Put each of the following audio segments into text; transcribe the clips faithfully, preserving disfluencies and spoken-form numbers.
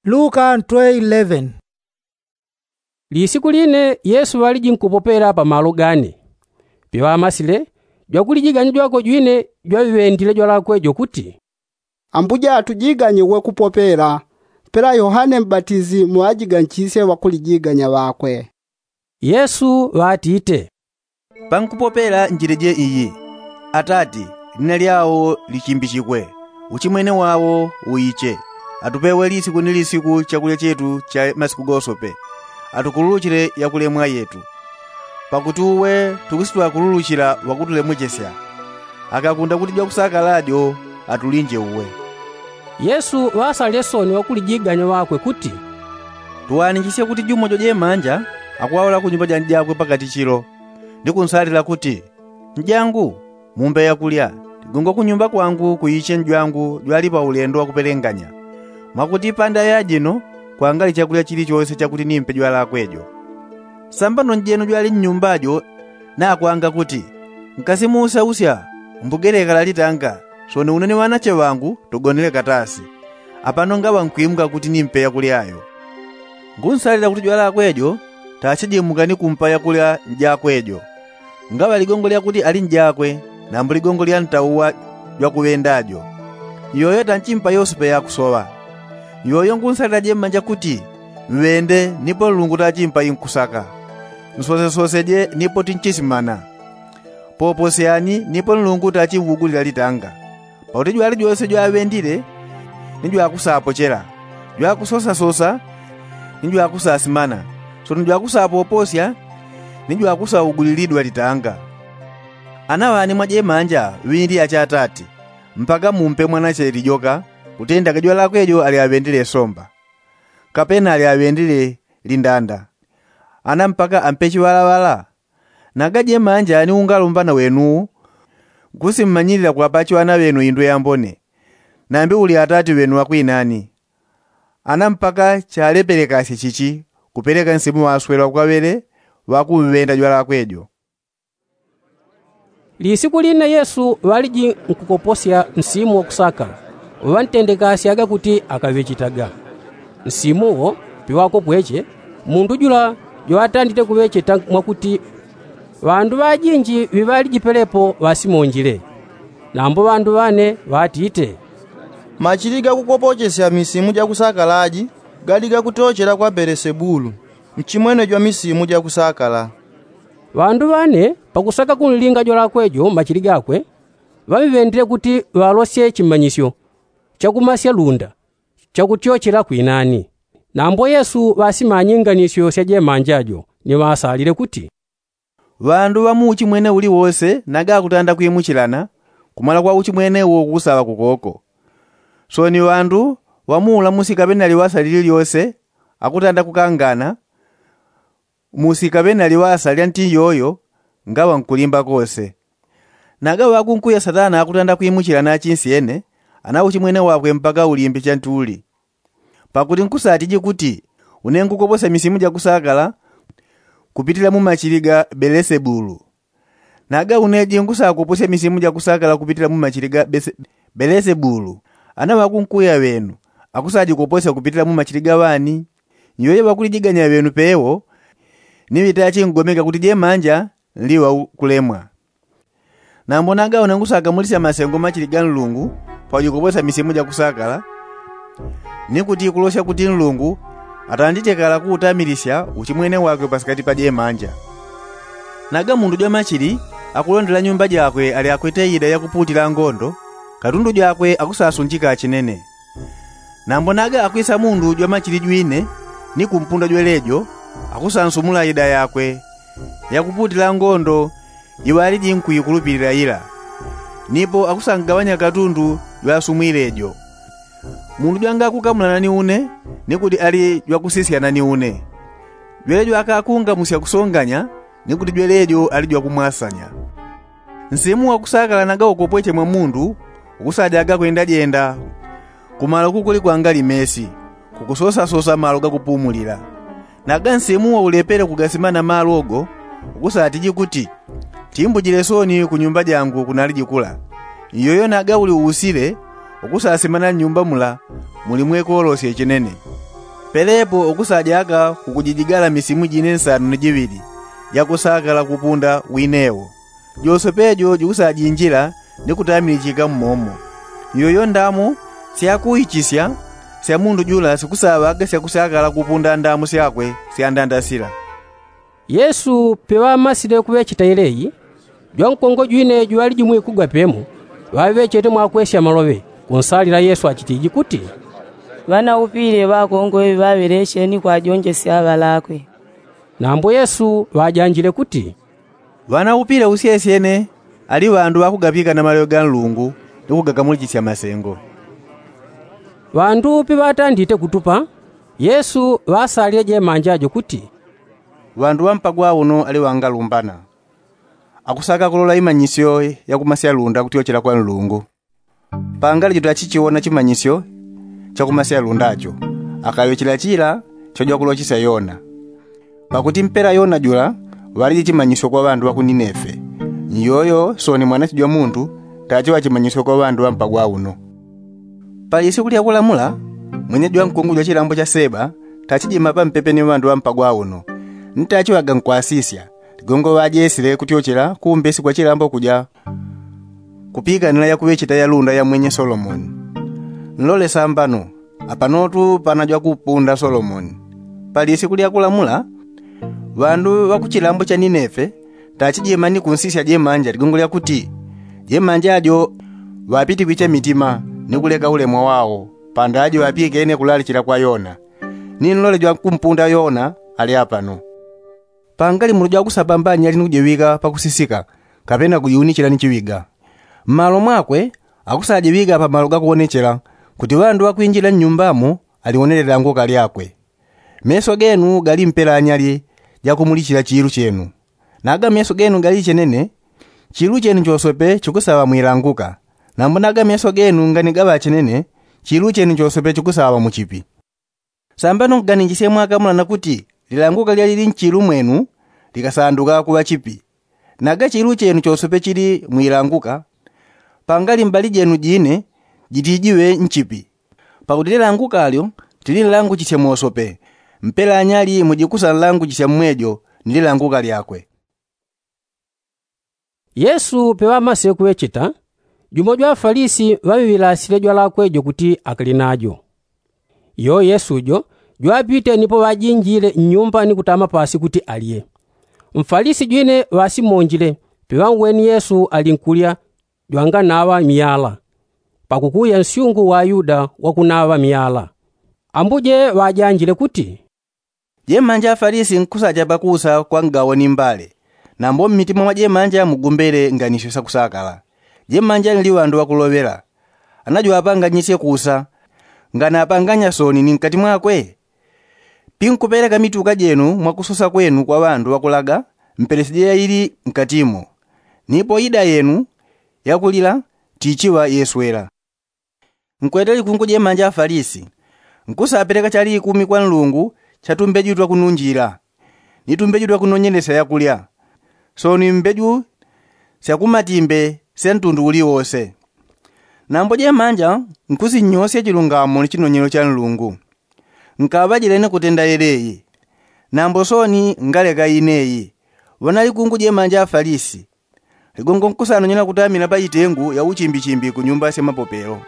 Luka ntwe eleven. Lisiku line yesu ŵaliji nkupopela pa malo gane. Piŵamasile jwakulijiganya jwakwe jwine jwaŵiŵendile jwalakwe jo kuti, ambuja atujiganye uwe kupopela. Pela yohane mbatizi muŵajiganchisye ŵakulijiganya ŵakwe. Yesu ŵatite, pankupopela njile je iyi, atati, lina lyao lichimbichikwe, uchimwene wao uiche, atupewe lisiku ni lisiku chakulya chetu cha masiku gosope, atukululuchile yakulemwa yetu. Pakuti uwe tukusitwakululuchila ŵakutulemwechesya. Akakunda kuti jwakusakala jo atulinje uwe. Yesu ŵasalile soni ŵakulijiganya ŵakwe kuti, tuwanichisye kuti jumo jwajemanja akuŵaŵala kunyumba janjakwe pakati chilo, ni kunsalila kuti, njangu, mumbe yakulya, ligongwa kunyumba kwangu kuiche njwangu jwali paulendo wakupelenganya. Mwakuti panda yajino kwangali chakulya chilichose chakuti nimpe jwalakwe jo. Sambano njeno jwali nnyumba jo nakwanga kuti, nkasimuusyausya, mbugeleka lalitanga, soni une ni ŵanache ŵangu tugonele katasi. Apano ngaŵa nkwimuka kuti nimpe yakulya yo. Ngunsalila kuti jwalakwe jo tachijimuka ni kumpa yakulya njakwe jo. Ngaŵa ligongo lyakuti ali njakwe, nambo ligongo lya ntauwa jwakuŵenda jo. Iyoyo tanchimpa yosepe yakusoŵa. Iyoyo ngunsalila jemanja kuti, mŵende nipo nlungu tachimpa inkusaka. Nsosesose je nipo tinchisimana. Poposyani nipo nlungu tachimwugulila litanga. Pakuti jwali jwose jwaŵendile ni jwakusapochela, jwakusosasosa ni jwakusasimana, soni jwakusapoposya ni jwakusaugulilidwa litanga. Ana ŵane mwajemanja ŵindile achatati, mpaka mumpe mwanache lijoka, kutenda gajwalakwe jo alyaŵendile somba, kapena alyaŵendile lindanda. Ana mpaka ampe chiŵalaŵala. Naga jemanja ni ungalumbana wenuwu, nkusimmanyilila kwapachiŵana ŵenu indwe yambone, nambi uli atati ŵenu ŵakwinani. Ana mpaka chalepelekasye chichi, kupeleka nsimu ŵaswelwa kwaŵele ŵakumŵenda jwalakwe jo. Lisiku line yesu ŵaliji nkukoposya nsimu wakusaka, uŵantendekasyaga kuti akaŵechitaga. Nsimu wo piŵakopweche, mundu jula jwatandite kuŵecheta mwakuti, ŵandu ŵajinji ŵiŵaliji pelepo ŵasimonjile. Nambo ŵandu ŵane ŵatite, machili gakukopochesya misimu jakusakala aji gali gakutochela kwa belesebulu, nchimwene jwa misimu jakusakala. Ŵandu ŵane pakusaka kunlinga jwalakwe jo mmachili gakwe, ŵaŵiŵendile kuti ŵalosye chimanyisyo chakumasya lunda chakutyochela kwinani. Nambo yesu ŵasimanye inganisyo sya jemanja jo ni ŵasalile kuti, ŵandu ŵa mu uchimwene uliwose naga akutanda kwimuchilana, kumala kwa uchimwene uwo kukusaŵa kukoko. Soni ŵandu ŵa mu ulamusi kapena liŵasa lililyose akutanda kukangana, musi kapena liŵasa lya nti iyoyo ngaŵa nkulimba kose. Naga ŵakunkuya satana akutanda kwimuchila na achinsyene, ana uchimwene wakwe mpaka ulimbe chanti uli. Pakuti nkusatiji kuti une nkukoposya misimu jakusakala kupitila mu machili ga belesebulu. Naga une ji nkusakoposya misimu jakusakala kupitila mu machili ga belesebulu, ana ŵakunkuya ŵenu akusajikoposya kupitila mu machili ga ŵani? Iyoyo ŵakulijiganya ŵenu pewo ni ŵitachingomeka kuti jemanja nliŵa kulemwa. Nambo naga une nkusakamulisya masengo machili ga nlungu, pakujikoposya misimu jakusakala, ni kuti kulosya kuti nlungu atandite kala kuutamilisya uchimwene wakwe pasikati pa jemanja. Naga mundu jwa machili akulondela nyumba jakwe ali akwete ida yakupuutila ngondo, katundu jakwe akusasunjika achinene. Nambo naga akwisa mundu jwa machili jwine ni kumpunda jwelejo, akusansumula ida yakwe yakupuutila ngondo iŵaliji nkuikulupilila ila, nipo akusangagawanya katundu jwasumwile jo. Mundu jwangakukamulana ni une ni kuti ali jwakusisyana ni une. Jwelejo akakungamusya kusonganya ni kuti jwelejo ali jwakumwasanya. Nsimu wakusakala naga ukopweche mwa mundu ukusajaga kwendajenda kumalo kukuli kwangali mesi, kukusosasosa malo gakupumulila. Naga nsimu waulepele kugasimana malo go ukusatiji kuti, timbujile soni kunyumba jangu kunaliji kula. Iyoyo naga uli uusile ukusasimana nnyumba mula muli mwekolosye chinene. Pelepo ukusajaga kukujijigala misimu jine nsanu ni jiŵili jakusakala kupunda winewo. Josepe jo jukusajinjila ni kutamilichika mmomo. Iyoyo ndamu syakuichisya sya mundu jula sikusaŵaga syakusakala kupunda ndamu syakwe sya ndanda sila. Yesu peŵamasile kuŵecheta yeleyi, jwankongo jwine jwaŵali jumwikugwa pemo, ŵaŵechete mwakwesya maloŵe kunsalila yesu achitiji kuti, ŵanaupile ŵakongo ŵaŵeleche ni kwajonjesya ŵalakwe. Nambo yesu ŵajanjile kuti, ŵanaupile usyesyene ali ŵandu ŵakugapika na maloŵe ga nlungu ni kugakamulichisya masengo. Ŵandu peŵatandite kutupa, yesu ŵasalile jemanja jo kuti, ŵandu ŵampagwa uno ali ŵangalumbana. Akusaka kulola imanyisyo ya kumasyalunda kutyochela kwa nlungu. Pangali jutachichiwona chimanyisyo cha kumasyalunda cho, akaŵechela chila chojwakulochesya yona. Pakuti mpela yona jula ŵaliji chimanyisyo kwa ŵandu ŵa ku ninefe, nyoyo soni mwanache jwa mundu tachiŵa chimanyisyo kwa ŵandu ŵampagwa uno. Pali siku lya kulamula, mwene jwankungu jwa chilambo cha seba tachijima pampepe ni ŵandu ŵampagwa uno, ni tachiŵaga nkwasisya ligongo ŵajesile kutyochela kumbesi kwa chilambo kuja kupikanila yakuŵecheta yalunda ya mwenye solomoni. Nlole sambano, apanotu pana jwakupunda solomoni. Pali siku lya kulamula, ŵandu ŵa ku chilambo cha ninefe tachijima ni kunsisya jemanja ligongo lya kuti jemanja jo ŵapitikwiche mitima ni kuleka ulemwa wao, pandaji ŵapikene kulalichila kwa yona. Ni nlole jwakumpunda yona ali apano. Pangali muloja wakusapambanya ali ni kujiŵika pakusisika, kapena kujiunichila ni chiŵiga. Mmalo mwakwe akusajiŵika pamalo gakuwonechela, kuti ŵandu ŵakwinjila nnyumbamo aliwonele lilanguka lyakwe. Meso genu gali mpela anyali jakumulichila chiilu chenu. Naga meso genu gali chenene, chiilu chenu chosope chikusaŵa mwilanguka. Nambo naga meso genu ngani gaŵa chenene, chiilu chenu chosope chikusaŵa muchipi. Sambano nkuganinjisye mwakamulana kuti lilanguka lyalili nchilu mwenu likasanduka kuŵa chipi. Naga chilu chenu chosope chili mwilanguka, pangali mbali jenu jine jitijiŵe nchipi. Pakuti lilanguka lyo tilinlanguchisye mosope, mpela anyali mujikusanlanguchisya mmwejo ni lilanguka lyakwe. Yesu peŵamasile kuŵecheta, jumo jwa afalisi ŵaŵiŵilasile jwalakwe jo kuti akali najo. Iyo yesu jo jwapite nipo ŵajinjile nnyumba ni kutama pasi kuti alye. Mfalisi jwine ŵasimonjile, peŵanweni yesu ali nkulya jwanganaŵa myala, pakukuya nsyungu wa ayuda wakunaŵa myala. Ambuje ŵajanjile kuti, jemanja afalisi nkusacha pakusa kwa ngawo ni mbale. Nambo mmitima mwa jemanja mugumbele nganisyo syakusakala. Jemanja nli ŵandu ŵakuloŵela. Anajwapanganyisye kusa, nganapanganya soni ni nkati mwakwe? Pinkupeleka mituka jenu mwakusosa kwenu kwa ŵandu ŵakulaga, mpelesije yaili nkatimo. Nipo ida yenu yakulila tichiŵa yeswela. Nkwete likungu jemanja afalisi. Nkusapeleka chali ikumi kwa nlungu cha tumbeju twakununjila, ni tumbeju twakunonyelesya yakulya, soni mbeju syakumatimbe sya ntundu uliwose. Nambo jemanja nkusinnyosya chilungamo ni chinonyelo cha nlungu. Nkaŵajile ni kutenda yeleyi. Nambo soni ngaleka ineyi. Ŵanalikungu jemanja afalisi, ligongo nkusanonyela kutamila pa itengu ya uchimbichimbi ku nyumba sya mapopelo.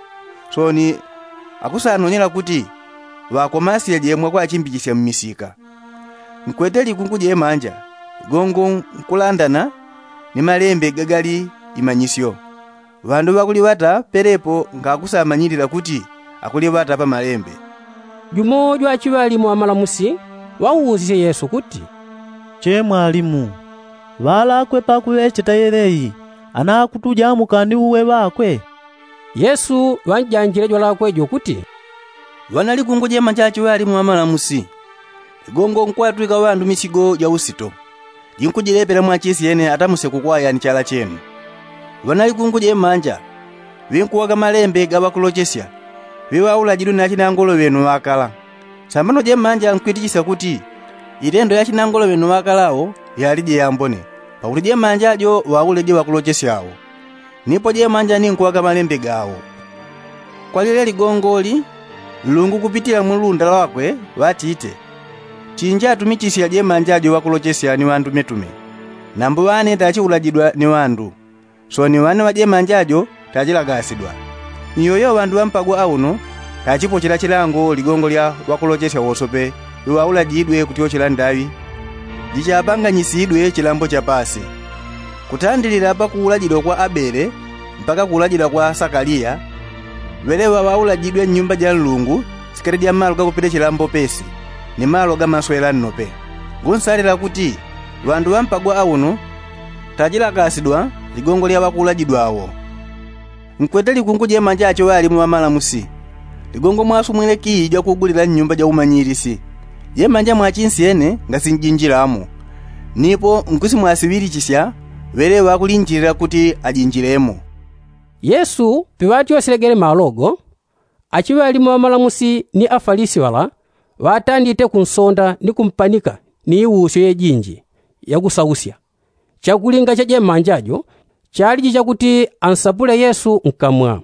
Soni akusanonyela kuti ŵakomasyeje mwakwachimbichesya mmisika. Nkwete likungu jemanja, ligongo nkulandana ni malembe gagali imanyisyo. Ŵandu ŵakuliŵata pelepo ngakusamanyilila kuti akuliŵata pa malembe. Jumo jwachiŵalimu amalamusi ŵauusisye yesu kuti, che mwalimu, ŵalakwe pakuŵecheta yeleyi anakutuja mukani uwe ŵakwe? Yesu ŵanjanjile jwalakwe jo kuti, ŵanalikungu jemanja achiŵalimu amalamusi, ligongo nkwatwika ŵandu misigo ja usito, jinkujilepela mwachisi yene atamuse kukwaya ni chala chenu. Ŵanalikungu jemanja ŵinkuwaka malembe ga ŵakulochesya, ŵiŵaulajidwe ni achinangolo ŵenu ŵakala. Sambano jemanja nkwitichisya kuti itendo ya achinangolo ŵenu ŵakala awo yalije yambone, pakuti jemanja jo ŵauleje ŵakulochesya awo. Nipo jemanja ninkuwaka malembe gawo. Kwa lile ligongoli Nlungu kupitila mu lunda lwakwe ŵatite, chinji atumichisya jemanja jo ŵakulochesya ni ŵandumetume. Nambo ŵane tachiulajidwa ni ŵandu, soni ŵane ŵajemanja jo tachilagasidwa. Ni yoyo ŵandu ŵampagwa auno tachipochela chilango ligongo lya ŵakulochesya wosope, iŵaulajidwe kutyochela ndaŵi jichapanganyisidwe chilambo cha pasi. Kutandilila pakuulajidwa kwa abele mpaka kuulajidwa kwa sakaliya, ŵeleŵa ŵaulajidwe nnyumba ja nlungu sikati ja malo gakupite chilambo pesi, ni malo gamaswela nnope. Ngunsalila kuti ŵandu ŵampagwa auno tachilakasidwa ligongo lya ŵakuulajidwa awo. Nkwete likungu jemanja acho ŵalimu ŵamalamusi, ligongo mwasumwile kii jwakugulila nnyumba ja umanyilisi. Jemanja mwachinsyene ngasinjinjilamo, nipo nkusimwasiŵilichisya ŵeleŵa ŵakulinjilila kuti ajinjilemo. Yesu piŵatyosile gele malo go, achiŵalimu ŵamalamusi ni afalisi ŵala ŵatandite kunsonda ni kumpanika ni iusyo yejinji yakusausya. Chakulinga cha jemanja jo chaliji chakuti ansapule yesu nkamwa.